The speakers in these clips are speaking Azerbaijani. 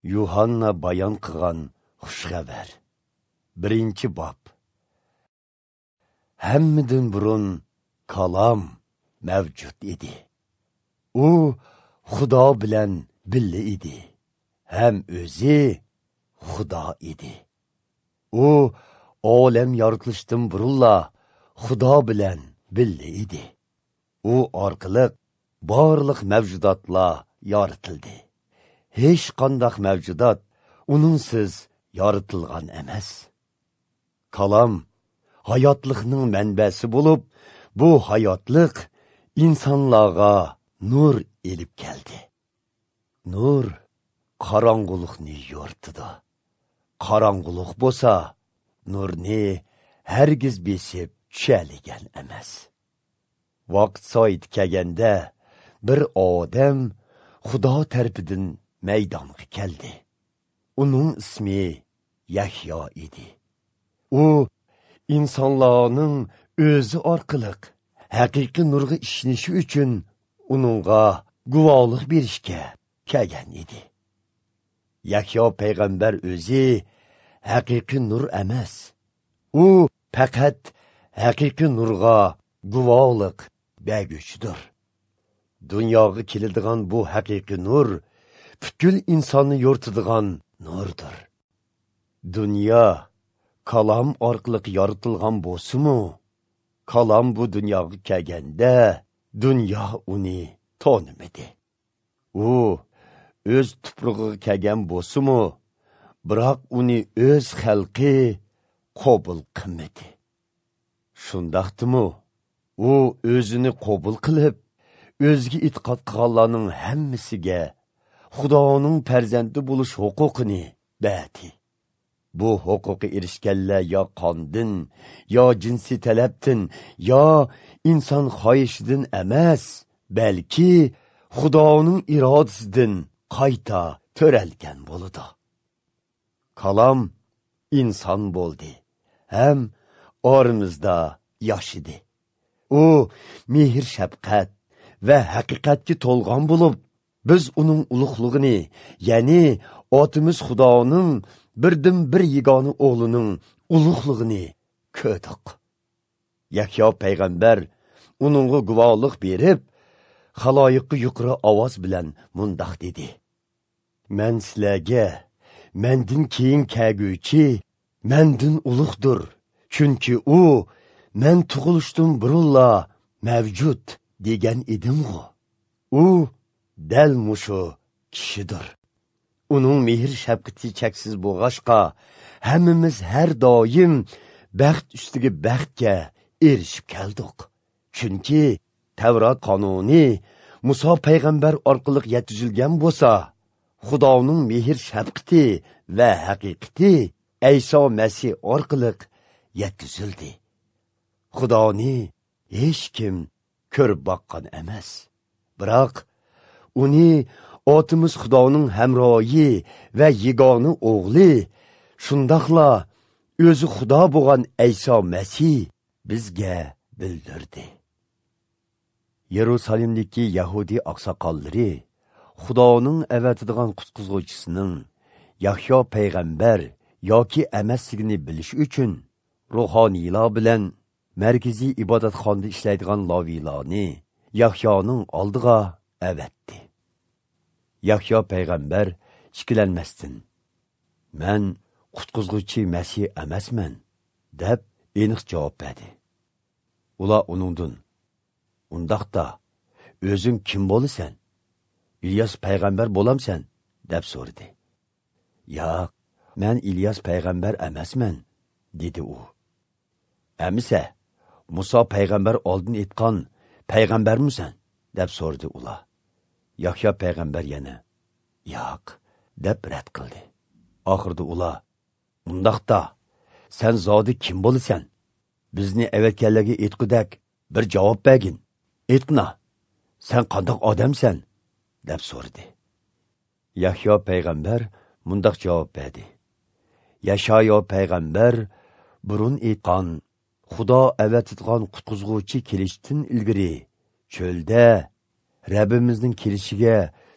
Yuhanna bayon qilgan xushxabar. 1-bob. Hammadan burun kalom mavjud edi. U Xudo bilan birga edi. Ham o'zi Xudo edi. U olam yoritilishdan burunla Xudo bilan birga edi. U orqali barliq mavjudotlar yoritildi. Hech qanday mavjudot uningsiz yoritilgan emas. Kalom hayotlikning manbasi bo'lib, bu hayotlik insonlarga nur elib keldi. Nur qorong'ulikni yo'rtidi. Qorong'ulik bo'lsa, nurni hargiz besib tushaligan emas. Vaqt soat kelganda bir odam Xudo tarafidan maydonga keldi. Uning ismi Yahyo edi. U insonlarning o'zi orqali haqiqiy nurga ishonishi uchun uningga guvohlik berishga kelgan edi. Yahyo payg'ambar o'zi haqiqiy nur emas. U faqat haqiqiy nurga guvohlik berguchidir. Dunyoga keladigan bu haqiqiy nur butkul insonni yo'rtadigan nurdir. Dunyo kalom orqali yoritilgan bo'lsa-mu, kalom bu dunyoga kelganda dunyo uni tanimadi. U o'z tuprog'iga kelgan bo'lsa-mu, biroq uni o'z xalqi qabul qilmadi. Shundaqdimi, u o'zini qabul qilib, o'ziga e'tiqod qilganlarning hammasiga Xudoning farzandi bo'lish huquqini berdi. Bu huquqqa erishganlar yo qondan, yo jinsiy talabdan, yo inson xohishidan emas, balki Xudoning irodasidan qayta to'ralgan bo'ldi. Kalom inson bo'ldi, ham oramizda yashidi. U mehr shafqat va haqiqatga to'lgan bo'lib, biz uning ulug'ligini, ya'ni otimiz Xudoning birdan bir yegona o'g'lining ulug'ligini ko'rdik. Yahyo payg'ambar uningga guvohlik berib, xaloyiqqa yuqori ovoz bilan mundoq dedi: "Men sizlarga mendan keyin kelguvchi mendan ulug'dir, chunki u men tug'ilishdan burunla mavjud degan edim-ku. U dal mushu kishidir. Uning mehr shafqati cheksiz bo'lg'ashqa, hammamiz har doim baxt ustiga baxtga erishib keldik. Chunki Tavrat qonuni Muso payg'ambar orqali yetkazilgan bo'lsa, Xudoning mehr shafqati va haqiqati Iso Masih orqali yetkazildi. Xudoni hech kim ko'rib boqqan emas. Biroq uni otimiz Xudoning hamroyi va yegona o'g'li, shundaqla o'zi Xudo bo'lgan Iso Masih bizga bildirdi. Yerusalimdagi Yahudi oqsoqollari Xudoning avatadigan qutqizuvchisining Yahyo payg'ambar yoki emasligini bilish uchun ruhoniylar bilan markaziy ibodatxonada ishlaydigan laviylarni Yahyoning oldiga avatdi. Yahyo payg'ambar ikkilanmasdan, "Men qutqizuvchi Masih emasman" deb aniq javob berdi. Ular uningdan, "Undaqda o'zing kim bo'lasan? İlyas payg'ambar bo'lamsan?" deb so'radi. "Yo'q, men İlyas payg'ambar emasman" dedi u. "Amisa, Muso payg'ambar oldin aytgan payg'ambarmisan?" deb so'radi ular. Yahyo payg'ambar yana "Yo'q" deb rad qildi. Oxirida ular, "Undaqda sen zodi kim bo'lasan? Bizni avatganlarga aytqudak bir javob bergin. Aytqina, sen qandoq odamsan?" deb so'radi. Yahyo payg'ambar mundoq javob berdi: "Yashayo payg'ambar burun aytgan Xudo avatitgan qutqizuvchi kelishdan ilgari cho'lda Rabbimizning kelishiga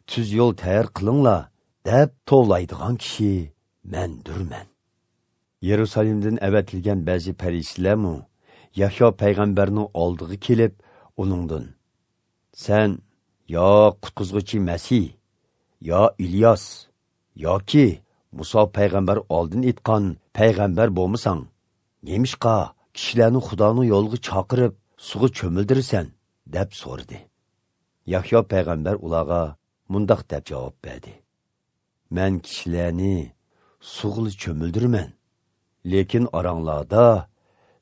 tuz yo'l tayyor qilinglar deb to'laydigan kishi mendurman. Yerusalimdan avatilgan ba'zi farishtalarmu Yahyo payg'ambarning oldiga kelib, uningdan: "Sen yo qutqizguchi Masih, yo İlyas, yoki Musa payg'ambar oldin aytgan payg'ambar bo'lmasang, nemishqa kishilarni Xudoning yo'liga chaqirib, suvga cho'mildirsan?" deb so'radi. Yahyo payg'ambar ularga mundaq deb javob berdi: "Men kishilarni suvga cho'mildirman, lekin oranglarda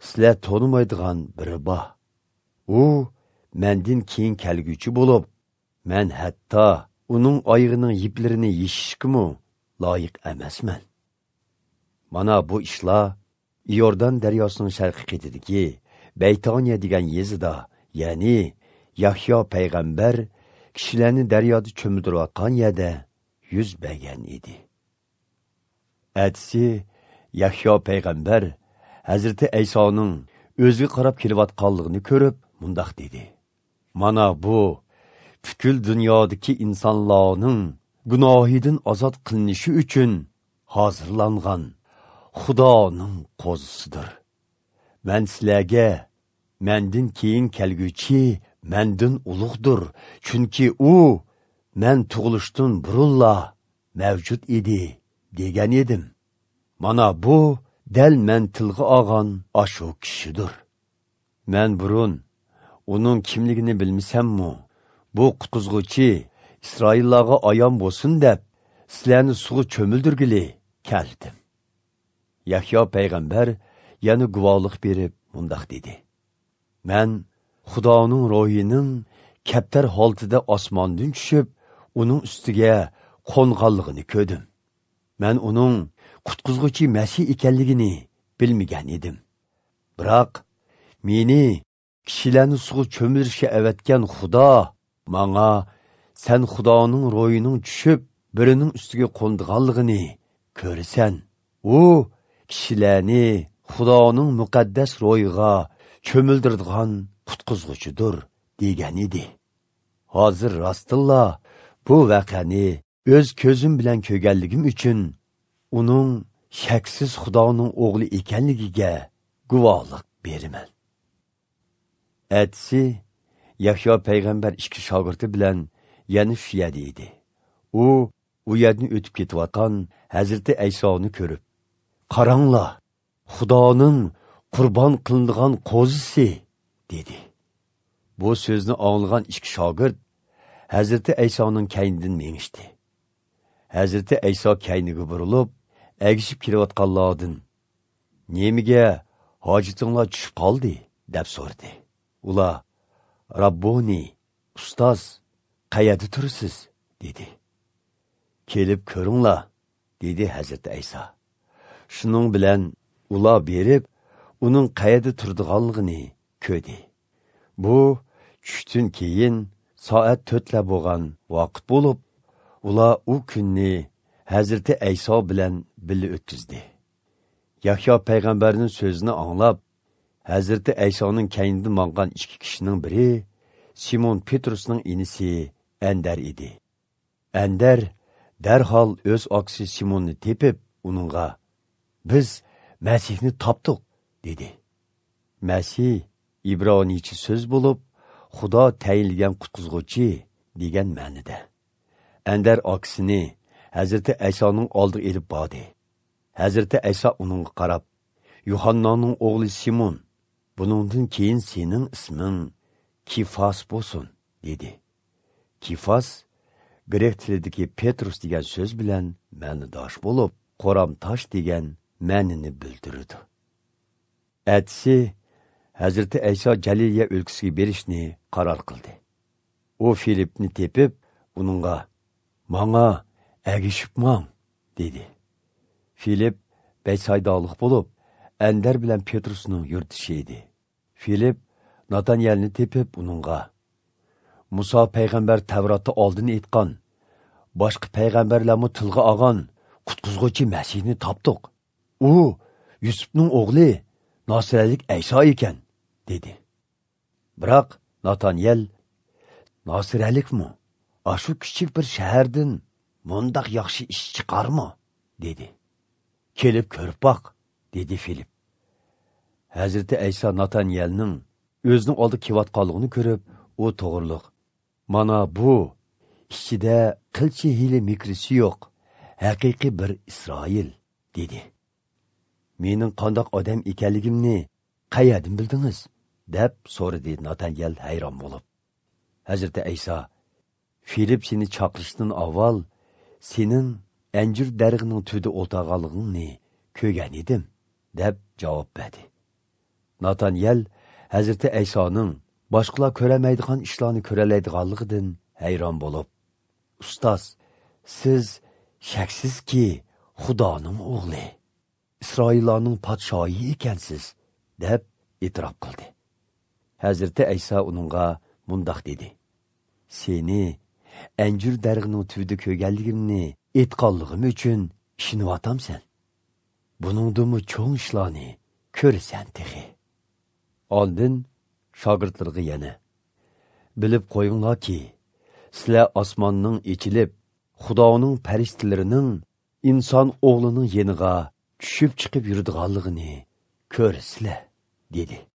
sizlar to'nimaydigan biri bor. U mendan keyin kelguchi bo'lib, men hatto uning oyog'ining yiplarini yeshishga loyiq emasman." Mana bu ishlar Iordan daryosining sharqiy qetidagi Beytaniya degan yezida, ya'ni Yahyo payg'ambar kishilarni daryoda cho'mildirayotgan yerda yuz bergan edi. Atsi Yahyo payg'ambar Hazreti Aysoning o'ziga qarab kelayotganligini ko'rib, mundaq dedi: "Mana bu bütün dunyodagi insonlarning gunohidan ozod qilinishi uchun hozirlangan Xudoning qo'zisidir. Men sizlarga mendan keyin kelguchi mendan ulug'dir, chunki u men tug'ilishdan burunla mavjud edi degan edim. Mana bu dal men tilga olgan ashu kishidir. Men burun uning kimligini bilmasammi, bu qutqizguchi İsraillarga ayon bo'lsin deb sizlarni suvga cho'mildirgili keldim." Yahyo payg'ambar yana guvohlik berib mundaq dedi: "Men Xudoning ro'yining kaptar holtida osmondan tushib, uning ustiga qo'nganligini ko'rdim. Men uning qutqizguchi Masih ekanligini bilmagan edim. Biroq meni kishilarni suvga cho'milishga avatgan Xudo menga sen Xudoning ro'yining tushib, birining ustiga qo'nganligini ko'rsan. U kishilarni Xudoning muqaddas ro'yiga cho'mildiradigan qutqizguchidir degan edi. Hozir rostilla bu voqeani o'z ko'zim bilan ko'rganligim uchun uning shaksiz Xudoning o'g'li ekanligiga guvohlik beraman." Atsi Yahyo payg'ambar ikki shogirdi bilan yana shu yerda edi. U yerni o'tib ketayotgan Hazreti Aysoni ko'rib: "Qaranglar, Xudoning qurbon qilinadigan qo'zisi", dedi. Bu so'zni anglagan ikki shogird Hazreti Aysoning kaynidan mengishdi. Hazreti Ayso kayniga burilib, agishib kelayotganlardan: "Nemiga hojitinglar tushib qoldi?" deb so'radi. Ular: "Rabboni, ustoz, qayerda tursiz?" dedi. "Kelib ko'ringlar", dedi Hazreti Ayso. Shuning bilan ular berib, uning qayerda turadiganligini ko'rdi. Bu tushdan keyin soat 4lar bo'lgan vaqt bo'lib, ular u kunni Hazreti Ayso bilan birga o'tkazdi. Yahyo payg'ambarning so'zini anglab, Hazreti Aysoning kaynidan mangan ikki kishining biri Simon Petrusning inisi Andar edi. Andar darhol o'z oksi Simonni tepib, uningga: "Biz Masihni topdik", dedi. Masih İbroniycha so'z bo'lib, Xudo tayinlagan qutqizguchi degan ma'noda. Andar oksini Hazreti Aysoning oldiga elib bordi. Hazreti Ayso uningga qarab: "Yuhannaning o'g'li Simon, buningdan keyin sening isming Kifos bo'lsin", dedi. Kifos grek tilidagi Petrus degan so'z bilan ma'nodosh bo'lib, qo'ram tosh degan ma'noni bildiradi. Atsi Hazreti Ayso Jaliliya o'lkasiga berishni qaror qildi. U Filipni tepib, uningga: "Menga agishib mang", dedi. Filip Beysaydalik bo'lib, Andar bilan Petrusning yurtishi edi. Filip Nataniyelni tepib, uningga: "Musa payg'ambar Tavrotda oldin aytgan, boshqa payg'ambarlarni tilga olgan qutqizguchi Masihni topdik. U Yusufning o'g'li Nosiralik Ayso ekan", dedi. Biroq Nataniyel: "Nosiralikmi? Ashu kichik bir shahardan mundaq yaxshi ish chiqarmi? dedi. Kelib ko'rib baq, dedi Filip. Hazreti Aysa Natanyelning o'zining oldi kelayotganligini ko'rib, u to'g'riliq. Mana bu ichida qilchi hili mikrisi yo'q, haqiqiy bir Isroil, dedi. Mening qandoq odam ekanligimni qayerdan bildingiz? deb so'radi Natanyel hayron bo'lib. Hazreti Aysa, Filip seni chaqirishdan avval sening anjir darig'ining tüdi o'tag'anligingni ko'rgan edim, deb javob berdi. Natanyel Hazreti Aysoning boshqalar ko'ramaydigan ishlarni ko'ralaydiganligidan hayron bo'lib, "Ustoz, siz shaksizki Xudoning o'g'li, Isroillarning podshohi ekansiz", deb e'tirof qildi. Hazreti Ayso uningga mundaq dedi: "Seni anjir darig'ining tüdi ko'rganligimni aytganligim uchun ishinyapamsan. Buningdimi cho'ng ishlarni ko'rasan tehi." Ondan shogirdlarga yana: "Bilib qo'yinglarki, sizlar osmonning ichilib, Xudoning faristalarining inson o'g'lining yeniga tushib chiqib yuradiganligini ko'rsizlar", dedi.